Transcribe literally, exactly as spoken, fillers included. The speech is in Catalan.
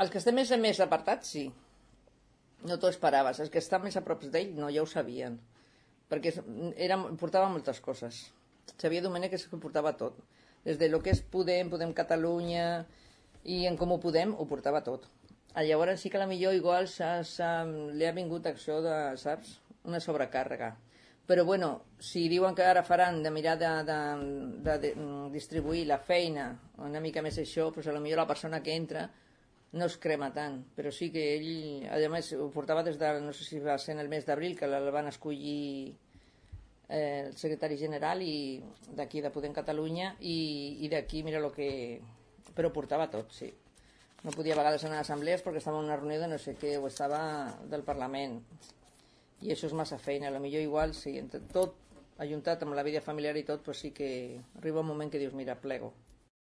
Els que estem més a més apartats, sí. No t'ho esperaves. Els que estan més a prop d'ell, no, ja ho sabien. Perquè era, portava moltes coses. Xavier Domènech és que portava tot. Des de lo que és Podem, Podem Catalunya i en Comú Podem, ho portava tot. Llavors sí que a la millor igual s'ha, s'ha, li ha vingut acció de, saps, una sobrecàrrega. Però bueno, si diuen que ara faran de mirar de, de, de, de distribuir la feina una mica més això, doncs a la millor la persona que entra no es crema tant, però sí que ell, a més, ho portava des de, no sé si va ser en el mes d'abril, que el van escollir eh, el secretari general i d'aquí de Podem Catalunya i, i d'aquí mira el que... però portava tot, sí. No podia a vegades anar a assemblees perquè estava en una reunió de no sé què, o estava del Parlament. I això és massa feina, a lo millor igual, sí, entre tot ajuntat amb la vida familiar i tot, pues sí que arriba un moment que dius, mira, plego.